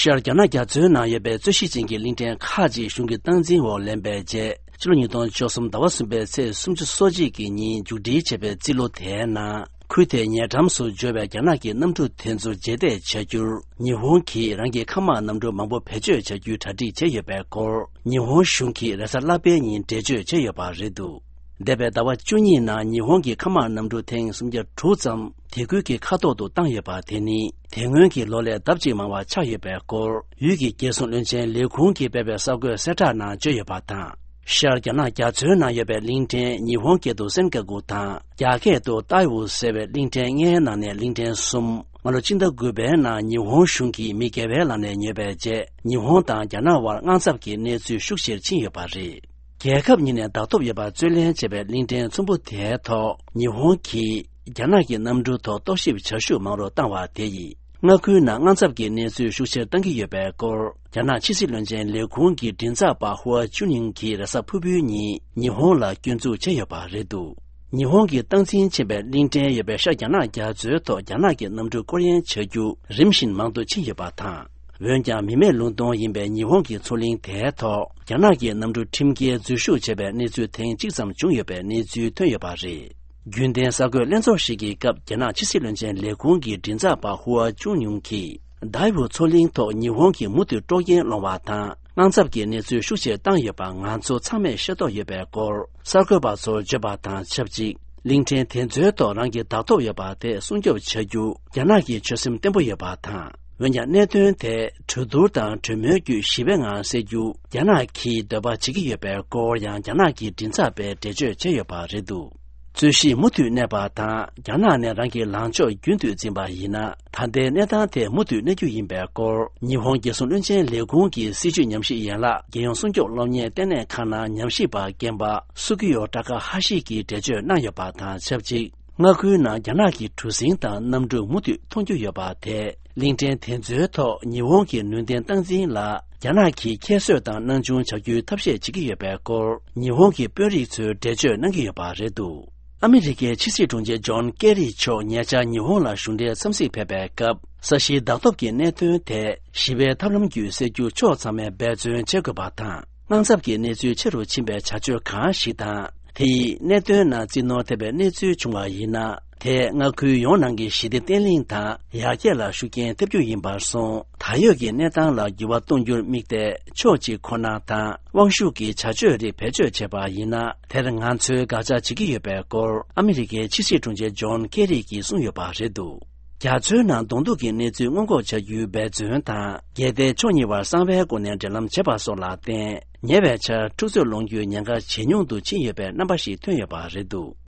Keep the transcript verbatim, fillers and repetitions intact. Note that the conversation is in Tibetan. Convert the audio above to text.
ཤར་རྒྱ་ནག་རྒྱ་མཚོའི་ནང་ཡོད་པའི་རྩོད་གཞི་ཅན་གྱི་གླིང་ཕྲན་ཁག་ཅིག་གཞུང་གི་སྟངས་འཛིན་འོག་ལེན་པའི་རྗེས། ཕྱི་ལོ་ཉིས་སྟོང་བཅུ་གསུམ་ཟླ་བ་གསུམ་པའི་ཚེས་སུམ་ཅུ་སོ་གཅིག་གི་ཉིན་མཇུག་སྒྲིལ་བྱས་པའི་རྩིས་ལོ་དེའི་ནང་། ཁུལ་དེའི་ཉེ་འགྲམ་སུ་འབྱོར་བའི་རྒྱ་ནག་གི་གནམ་གྲུ་དེ་ཚོ་རྗེས་འདེད་བྱ་རྒྱུར། ཉི་ཧོང་གིས་རང་གི་མཁའ་དམག་གནམ་གྲུ་མང་པོ་བེད་སྤྱོད་བྱ་རྒྱུའི་གྲ་སྒྲིག་བྱས་ཡོད་པའི་སྐོར། ཉི་ཧོང་གཞུང་གིས་རེས་གཟའ་ལྷག་པའི་ཉིན་འགྲེལ་བརྗོད་བྱས་ཡོད་པ་རེད་འདུག་འདས་པའི་ཟླ་བ་བཅུ་གཉིས་ནང་ཉི་ཧོང་གི་མཁའ་དམག་གནམ་གྲུ་ཐེངས་སུམ་བརྒྱ་དྲུག་ཙམ་དེ་ཁུལ་གྱི་མཁའ་ཐོག་ཏུ་བཏང་ཡོད་པ་དེ་ནི་དེ་སྔོན་གྱི་ལོ་ལས་ལྡབ་གཅིག་མང་བ་ཆགས་ཡོད་པའི་སྐོར། ཡུལ་གྱི་རྒྱལ་སྲུང་བློན་ཆེན་ལས་ཁུངས་ཀྱིས་སྤེལ་བའི་གསར་འགོད་གསལ་བསྒྲགས་ནང་བརྗོད་ཡོད་པ་དང་། ཤར་རྒྱ་ནག་རྒྱ་མཚོའི་ནང་ཡོད་པའི་གླིང་ཕྲན་ཉི་ཧོང་སྐད་དུ་སེན་ཀ་གུ་དང་། རྒྱ་སྐད་དུ་ཏའེ་ཝུ་ཟེར་བའི་གླིང་ཕྲན་ལྔའི་ནང་ནས་གླིང་ཕྲན་གསུམ། སྔ་ལོ་སྤྱི་ཟླ་དགུ་པའི་ནང་ཉི་ཧོང་གཞུང་གིས་མི་སྒེར་པའི་ལག་ནས་ཉོས་པའི་རྗེས། ཉི་ཧོང་དང་རྒྱ་ནག་དབར་དངངས་འཚབ་ཀྱི་གནས་ཚུལ་ཤུགས་ཆེར་ཕྱིན་ཡོད་པ་རེད། རྒྱལ་ཁབ་གཉིས་ནས་བདག་ཐོབ་ཡོད་པར་རྩོད་ལེན་བྱས་པའི་གླིང་ཕྲན་ཚོམ་བུ་དེའི་ཐོག་ཉི་ཧོང་གིས་རྒྱ་ནག་གི་གནམ་གྲུ་ཐོག་རྟོག་ཞིབ་བྱ་ཤུགས་མང་རུ་བཏང་བ་དེ་ཡིས། མངའ་ཁུལ་ནང་དངངས་འཚབ་ཀྱི་གནས་ཚུལ་ཤུགས་ཆེར་བཏང་གི་ཡོད་པའི་སྐོར། རྒྱ་ནག་ཕྱི་སྲིད་བློན་ཆེན་ལས་ཁུངས་ཀྱི་མགྲིན་ཚབ་པ་ཧུའ་ཅུན་ཡིང་གིས་རེས་གཟའ་ཕུར་བུའི་ཉིན་ཉི་ཧོང་ལ་སྐྱོན་འཛུགས་བྱས་ཡོད་པ་རེད་འདུག་ཉི་ཧོང་གིས་སྟངས་འཛིན་ཕྱིན་པའི་གླིང་ཕྲན་ཡོད་པའི་ཤར་རྒྱ་ནག་རྒྱ་མཚོའི་ཐོག་རྒྱ་ནག་གི་གནམ་གྲུ་སྐོར་གཡེང་བྱ་རྒྱུ་རིམ་བཞིན་མང་དུ་ཕྱིན་ཡོད་པ་དང་། འོན་ཀྱང་མི་མེད་ལུང་སྟོང་ཡིན་པའི་ཉི་ཧོང་གི་མཚོ་གླིང་དེའི་ཐོག་རྒྱ་ནག་གི་གནམ་གྲུ་ཁྲིམས་འགལ་འཛུལ་ཞུགས་བྱས་པའི་གནས་ཚུལ་ཐེངས་གཅིག་ཙམ་བྱུང་ཡོད་པའི་གནས་ཚུལ་ཐོན་ཡོད་པ་རེད། རྒྱུན་ལྡན་གསར་འགོད་ལྷན་ཚོགས་ཤིག་གི་སྐབས་རྒྱ་ནག་ཕྱི་སྲིད་བློན་ཆེན་ལས་ཁུངས་ཀྱི་མགྲིན་ཚབ་པ་ཧུའ་ཅུན་ཡུང་གིས། དཱའེ་ཝུ་མཚོ་གླིང་ཐོག་ཉི་ཧོང་གིས་མུ་མཐུད་དཀྲོག་རྐྱེན་སློང་བ་དང་། དངངས་འཚབ་ཀྱི་གནས་ཚུལ་ཤུགས་ཆེར་བཏང་ཡོད་པ་ང་ཚོ་ཚང་མས་ཤེས་རྟོགས་ཡོད་པའི་སྐོར། གསར་འགོད་པ་ཚོར་བརྗོད་པ་དང་ཆབས་ཅིག་གླིང་ཕྲན་དེ་ཚོའི་ཐོག་རང་གི་བདག་ཐོབ་ཡོད་པ་དེ་སྲུང་སྐྱོབ་བྱ་རྒྱུ་རྒྱ་ནག་གི་ཆོད་སེམས་བརྟན་པོ་ཡོད་པ་དང་། འོན་ཀྱང་གནད་དོན་དེ་གྲོས་བསྡུར་དང་གྲོས་མོལ་བརྒྱུད་ཞི་བའི་ངང་སེལ་རྒྱུ་རྒྱ་ནག་གིས་འདོད་པ་བྱེད་ཀྱི་ཡོད་པའི་སྐོར་ཡང་རྒྱ་ནག་གི་མགྲིན་ཚབ་པས་འགྲེལ་བརྗོད་བྱས་ཡོད་པ་རེད་འདུག་རྩོད་གཞི་མུ་མཐུད་གནས་པ་དང་། རྒྱ་ནག་ནས་རང་གི་ལངས་ཕྱོགས་རྒྱུན་མཐུད་འཛིན་པ་ཡིན་ན། ད་ལྟའི་གནས་སྟངས་དེ་མུ་མཐུད་གནས་རྒྱུ་ཡིན་པའི་སྐོར། ཉི་ཧོང་རྒྱལ་སྲུང་བློན་ཆེན་ལས་ཁུངས་ཀྱི་སྲིད་བྱུས་ཉམས་ཞིབ་ཡན་ལག་རྒྱལ་ཡོངས་སྲུང་སྐྱོབ་སློབ་གཉེར་ལྟེ་གནས་ཁང་ནང་ཉམས་ཞིབ་པ་རྒན་པ་སུ་ཀི་ཡོ་ཏྲ་ཀ་ཧ་ཤི་གིས་འགྲེལ་བརྗོད་གནང་ཡོད་པ་དང་ཆབས་ཅིག་མངའ་ཁུལ་ནང་རྒྱ་ནག་གི་གྲུ་གཟིངས་དང་གནམ་གྲུ་མུ་མཐུད་མཐོང་རྒྱུ་ཡོད་པ་དེས། གླིང་ཕྲན་དེ་ཚོའི་ཐོག་ཉི་ཧོང་གི་ནུས་ལྡན་སྟངས་འཛིན་ལ། རྒྱ་ནག་གིས་ཁྱད་གསོད་དང་སྣང་ཆུང་བྱ་རྒྱུའི་ཐབས་ཤེས་བྱེད་ཀྱི་ཡོད་པའི་སྐོར། ཉི་ཧོང་གི་དཔོན་རིགས་ཚོས་འགྲེལ་བརྗོད་གནང་གི་ཡོད་པ་རེད་འདུག་ཨ་མི་རི་ཀའི་ཕྱི་སྲིད་དྲུང་ཆེ་ཇོན་ཀེ་རི་མཆོག་ཉེ་ཆར་ཉི་ཧོང་ལ་གཞུང་འབྲེལ་འཚམས་གཟིགས་ཕེབས་པའི་སྐབས། ས་གཞིའི་བདག་ཐོབ་ཀྱི་གནད་དོན་དེ་ཞི་བའི་ཐབས་ལམ་བརྒྱུད་སེལ་རྒྱུ་ཕྱོགས་ཚང་མས་འབད་བརྩོན་བྱེད་དགོས་པ་དང་། དངངས་འཚབ་ཀྱི་གནས་ཚུལ་ཆེ་རུ་ཕྱིན་པའི་བྱ་སྤྱོད་གང་ཞིག་དང་། དེ་ཡིས་གནད་དོན་ནང་རྩིས་ནོར་ཐེབས་པའི་གནས་ཚུལ་བྱུང་བ་ཡིན་ན། དེས་མངའ་ཁུལ་ཡོངས་ནང་གི་ཞི་བདེ་བརྟན་ལྷིང་དང་ཡར་རྒྱས་ལ་ཤུགས་རྐྱེན་ཐེབས་རྒྱུ་ཡིན་པར་སོང་། ད་ཡོད་ཀྱི་གནས་སྟངས་ལ་འགྱུར་བ་གཏོང་རྒྱུར་དམིགས་ཏེ། ཕྱོགས་གཅིག་ཁོ་ན་དང་དབང་ཤུགས་ཀྱི་བྱ་སྤྱོད་རིགས་བེད་སྤྱོད་བྱས་པ་ཡིན་ན། དེར་ང་ཚོས་དགག་བྱ་བྱེད་ཀྱི་ཡོད་པའི་སྐོར། ཨ་མི་རི་ཀའི་ཕྱི་སྲིད་དྲུང་ཆེ་ཇོན་ཀེ་རི་གིས་གསུངས་ཡོད་པ་རེད་འདུག་རྒྱ་མཚོའི་ནང་གདོང་ཐུག་གི་གནས་ཚུལ་སྔོན་འགོག་བྱ་རྒྱུའི་འབད་བརྩོན་དང་། གལ་ཏེ་ཕྱོགས་གཉིས་བར་གསང་བའི་སྒོ་ནས་འབྲེལ་ལམ་བྱེད་པ་སོགས་ལ་བརྟེན། ཉེ་བའི་ཆར་འཁྲུག་རྩོད་སློང་རྒྱུའི་ཉེན་ཁ་ཇེ་ཉུང་དུ་ཕྱིན་ཡོད་པའི་རྣམ་པ་ཞིག་ཐོན་ཡོད་པ་རེད་འདུག